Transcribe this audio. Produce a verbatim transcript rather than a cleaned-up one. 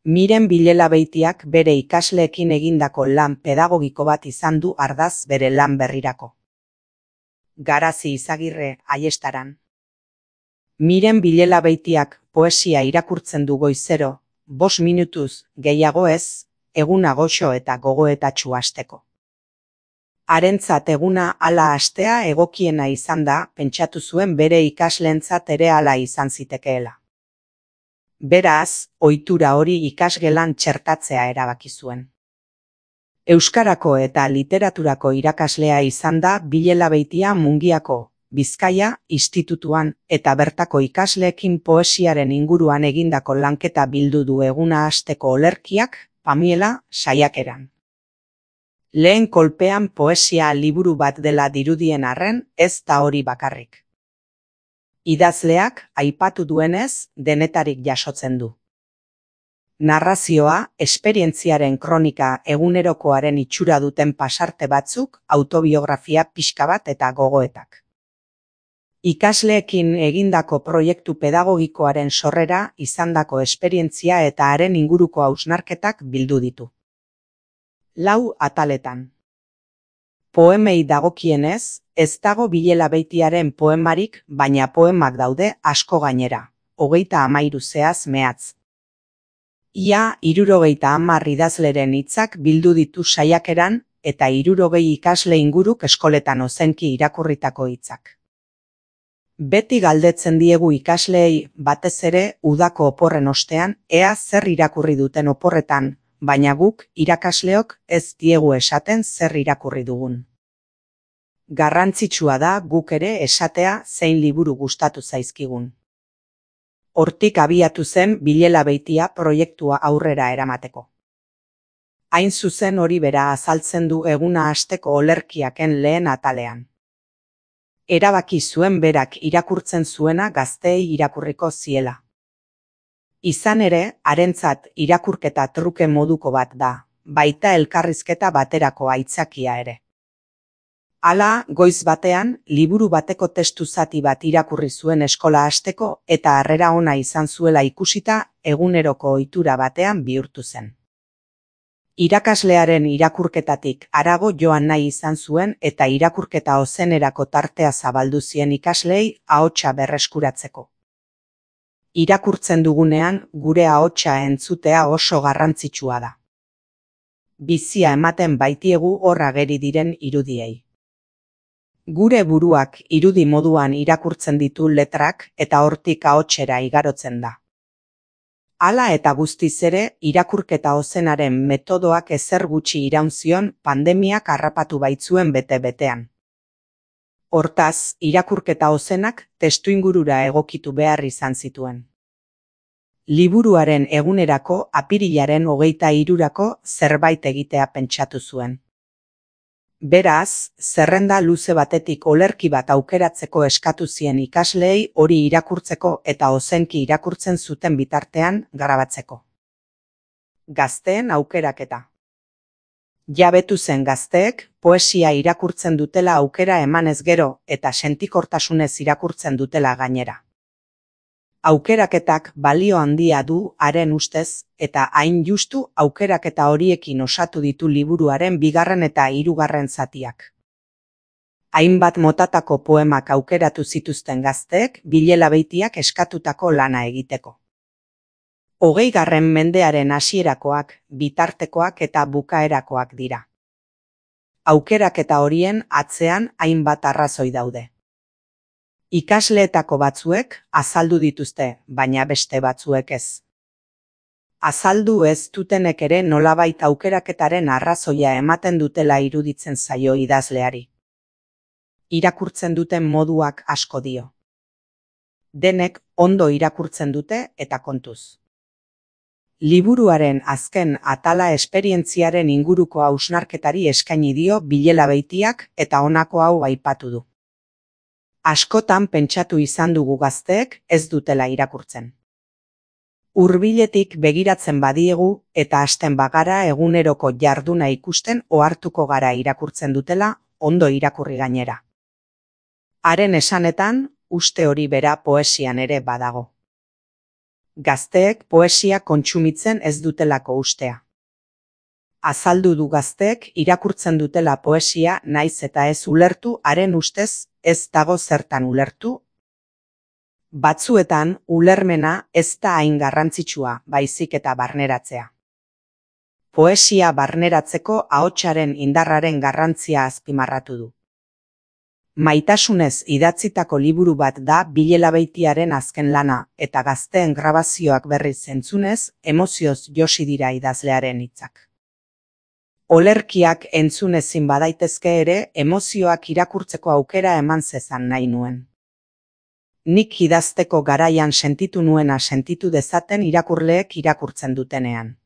Miren Bilela-Beitiak bere ikasleekin egindako lan pedagogiko bat izan du ardaz bere lan berrirako. Garazi Izagirre, Aiestaran. Miren Bilela-Beitiak poesia irakurtzen du goizero, bost minutuz gehiago ez, eguna goxo eta gogoetatsu hasteko. Harentzat eguna hala hastea egokiena izan da, pentsatu zuen bere ikasleentzat ere hala izan zitekeela. Beraz, ohitura hori ikasgelan txertatzea erabaki zuen. Euskarako eta literaturako irakaslea izan da Bilela-Beitia Mungiako, Bizkaia, institutuan eta bertako ikasleekin poesiaren inguruan egindako lanketa bildu du eguna hasteko olerkiak, Pamiela, saiakeran. Lehen kolpean poesia liburu bat dela dirudien arren, ez da hori bakarrik. Idazleak, aipatu duenez, denetarik jasotzen du. Narrazioa, esperientziaren kronika egunerokoaren itxura duten pasarte batzuk, autobiografia pixka bat eta gogoetak. Ikasleekin egindako proiektu pedagogikoaren sorrera, izandako esperientzia eta haren inguruko hausnarketak bildu ditu. Lau ataletan. Poemei dagokienez, ez dago Bilela-Beitiaren poemarik, baina poemak daude asko gainera, hogeita hamairu zehaz mehatz. Ia hirurogeita hamar idazleren hitzak bildu ditu saiakeran eta hirurogei ikasle inguruk eskoletan ozenki irakurritako hitzak. Beti galdetzen diegu ikasleei, batez ere udako oporren ostean, ea zer irakurri duten oporretan, baina guk, irakasleok, ez diegu esaten zer irakurri dugun. Garrantzitsua da guk ere esatea zein liburu gustatu zaizkigun. Hortik abiatu zen Bilela-Beitia proiektua aurrera eramateko. Hain zuzen hori bera azaltzen du eguna hasteko olerkiaken lehen atalean. Erabaki zuen berak irakurtzen zuena gazteei irakurriko ziela. Izan ere, harentzat irakurketa truke moduko bat da, baita elkarrizketa baterako aitzakia ere. Hala, goiz batean, liburu bateko testu zati bat irakurri zuen eskola hasteko eta harrera ona izan zuela ikusita eguneroko ohitura batean bihurtu zen. Irakaslearen irakurketatik harago joan nahi izan zuen eta irakurketa ozenerako tartea zabaldu zien ikasleei ahotsa berreskuratzeko. Irakurtzen dugunean, gure ahotsa entzutea oso garrantzitsua da. Bizia ematen baitiegu hor ageri diren irudiei. Gure buruak irudi moduan irakurtzen ditu letrak eta hortik ahotsera igarotzen da. Hala eta guztiz ere, irakurketa ozenaren metodoak ezer gutxi iraun zion pandemiak harrapatu baitzuen bete-betean. Hortaz, irakurketa ozenak testuingurura egokitu behar izan zituen. Liburuaren egunerako apirilaren hogeita hirurako zerbait egitea pentsatu zuen. Beraz, zerrenda luze batetik olerki bat aukeratzeko eskatu zien ikasleei hori irakurtzeko eta ozenki irakurtzen zuten bitartean grabatzeko. Gazteen aukeraketa. Jabetu zen gazteek poesia irakurtzen dutela aukera emanez gero eta sentikortasunez irakurtzen dutela gainera. Aukeraketak balio handia du haren ustez eta hain justu aukeraketa horiekin osatu ditu liburuaren bigarren eta hirugarren zatiak. Hainbat motatako poemak aukeratu zituzten gazteek Bilela-Beitiak eskatutako lana egiteko. Hogeigarren mendearen hasierakoak, bitartekoak eta bukaerakoak dira. Aukeraketa horien atzean hainbat arrazoi daude. Ikasleetako batzuek azaldu dituzte, baina beste batzuek ez. Azaldu ez dutenek ere nolabait aukeraketaren arrazoia ematen dutela iruditzen zaio idazleari. Irakurtzen duten moduak asko dio. Denek ondo irakurtzen dute eta kontuz. Liburuaren azken atala esperientziaren inguruko hausnarketari eskaini dio Bilela-Beitiak eta honako hau aipatu du. Askotan pentsatu izan dugu gazteek ez dutela irakurtzen. Hurbiletik begiratzen badiegu eta hasten bagara eguneroko jarduna ikusten ohartuko gara irakurtzen dutela, ondo irakurri gainera. Haren esanetan, uste hori bera poesian ere badago. Gazteek poesia kontsumitzen ez dutelako ustea. Azaldu du gazteek irakurtzen dutela poesia naiz eta ez ulertu haren ustez ez dago zertan ulertu. Batzuetan ulermena ez da hain garrantzitsua, baizik eta barneratzea. Poesia barneratzeko ahotsaren indarraren garrantzia azpimarratu du. Maitasunez idatzitako liburu bat da Bilela Beitiaren azken lana, eta gazteen grabazioak berriz entzunez, emozioz josi dira idazlearen hitzak. Olerkiak entzun ezin badaitezke ere, emozioak irakurtzeko aukera eman zezan nahi nuen. Nik idazteko garaian sentitu nuena sentitu dezaten irakurleek irakurtzen dutenean.